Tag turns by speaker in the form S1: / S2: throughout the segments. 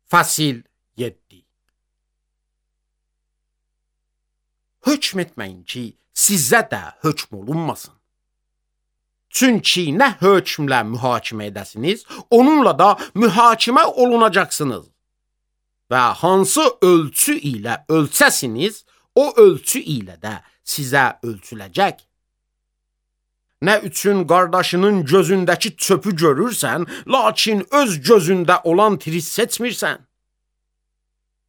S1: Fəsil 7. Hökm etməyin ki, sizə də hökm olunmasın. Çünki nə hökmlə mühakimə edəsiniz, onunla da mühakimə olunacaqsınız. Və hansı ölçü ilə ölçəsiniz, o ölçü ilə də sizə ölçüləcək. Nə üçün qardaşının gözündəki çöpü görürsən, lakin öz gözündə olan tiri seçmirsən?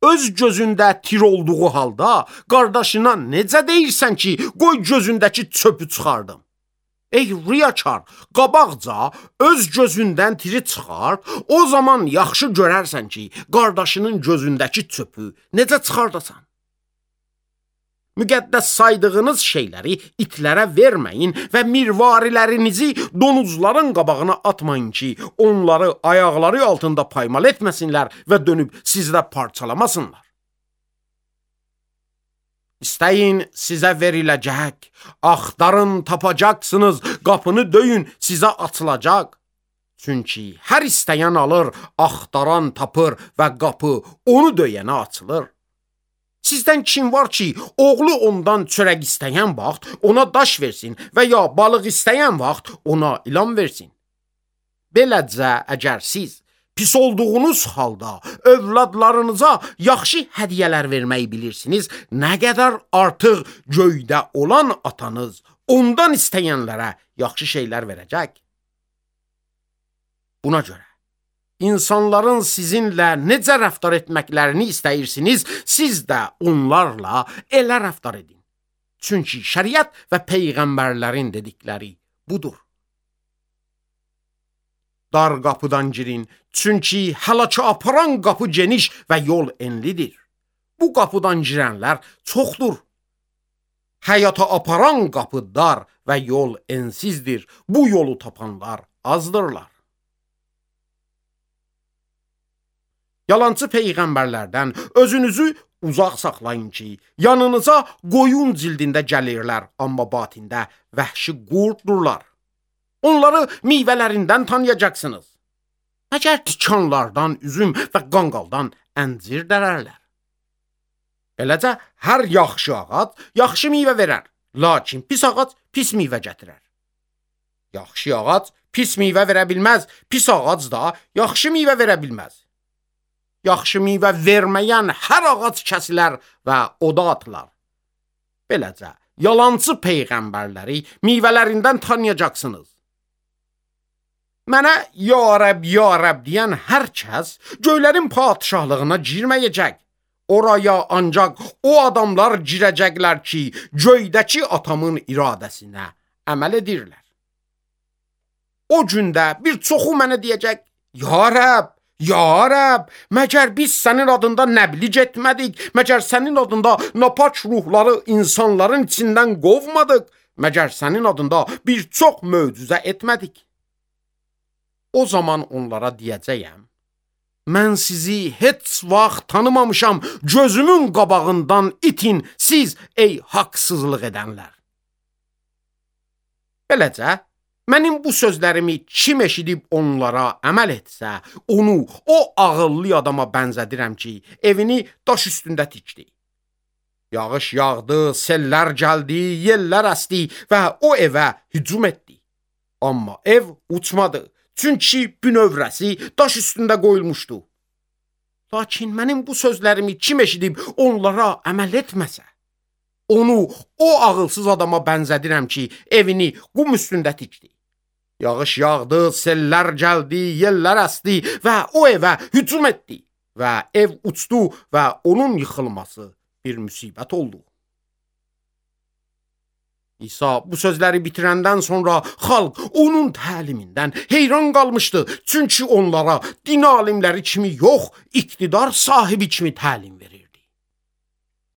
S1: Öz gözündə tir olduğu halda qardaşına necə deyirsən ki, qoy gözündəki çöpü çıxardım? Ey riyakar, qabaqca öz gözündən tiri çıxart, o zaman yaxşı görərsən ki, qardaşının gözündəki çöpü necə çıxardasan? Müqəddəs saydığınız şeyləri itlərə verməyin və mirvarilərinizi donuzların qabağına atmayın ki, onları ayaqları altında paymal etməsinlər və dönüb sizdə parçalamasınlar. İstəyin, sizə veriləcək, axtarın, tapacaqsınız, qapını döyün, sizə açılacaq. Çünki hər istəyən alır, axtaran tapır və qapı onu döyənə açılır. Sizdən kim var ki, oğlu ondan çörək istəyən vaxt ona daş versin və ya balıq istəyən vaxt ona ilan versin? Beləcə, əgər siz pis olduğunuz halda övladlarınıza yaxşı hədiyyələr verməyi bilirsiniz, nə qədər artıq göydə olan atanız ondan istəyənlərə yaxşı şeylər verəcək. Buna görə İnsanların sizinlə necə rəftar etməklərini istəyirsiniz, siz də onlarla elə rəftar edin. Çünki şəriət və peyğəmbərlərin dedikləri budur. Dar qapıdan girin, çünki həlaka aparan qapı geniş və yol enlidir. Bu qapıdan girənlər çoxdur. Həyata aparan qapı dar və yol ensizdir. Bu yolu tapanlar azdırlar. Yalancı peyğəmbərlərdən özünüzü uzaq saxlayın ki, yanınıza qoyun cildində gəlirlər, amma batində vəhşi qurdurlar. Onları meyvələrindən tanıyacaqsınız. Məgər tikanlardan üzüm və qanqaldan əncir dərərlər. Beləcə, hər yaxşı ağac yaxşı meyvə verər, lakin pis ağac pis meyvə gətirər. Yaxşı ağac pis meyvə verə bilməz, pis ağac da yaxşı meyvə verə bilməz. Yaxşı meyvə verməyən hər ağac kəsilər və oda atılar. Beləcə, yalancı peyğəmbərləri meyvələrindən tanıyacaqsınız. Mənə ya Rəbb deyən hər kəs göylərin padişahlığına girməyəcək. Oraya ancaq o adamlar girəcəklər ki, göydəki atamın iradəsinə əməl edirlər. O gündə bir çoxu mənə deyəcək, Ya Rəbb, məgər biz sənin adında nəbliğ etmədik, məgər sənin adında napaç ruhları insanların içindən qovmadıq, məgər sənin adında bir çox möcüzə etmədik. O zaman onlara deyəcəyəm, mən sizi heç vaxt tanımamışam, gözümün qabağından itin siz ey haqsızlıq edənlər. Beləcə, mənim bu sözlərimi kim eşidib onlara əməl etsə, onu o ağıllı adama bənzədirəm ki, evini daş üstündə tikdi. Yağış yağdı, sellər gəldi, yellər əsdi və o evə hücum etdi. Amma ev uçmadı, çünki bünövrəsi daş üstündə qoyulmuşdu. Lakin mənim bu sözlərimi kim eşidib onlara əməl etməsə, onu o ağılsız adama bənzədirəm ki, evini qum üstündə tikdi. Yağış yağdı, sellər gəldi, yellər əsdi və o evə hücum etdi və ev uçdu və onun yıxılması bir müsibət oldu. İsa bu sözləri bitirəndən sonra xalq onun təlimindən heyran qalmışdı, çünki onlara din alimləri kimi yox, iqtidar sahibi kimi təlim verir.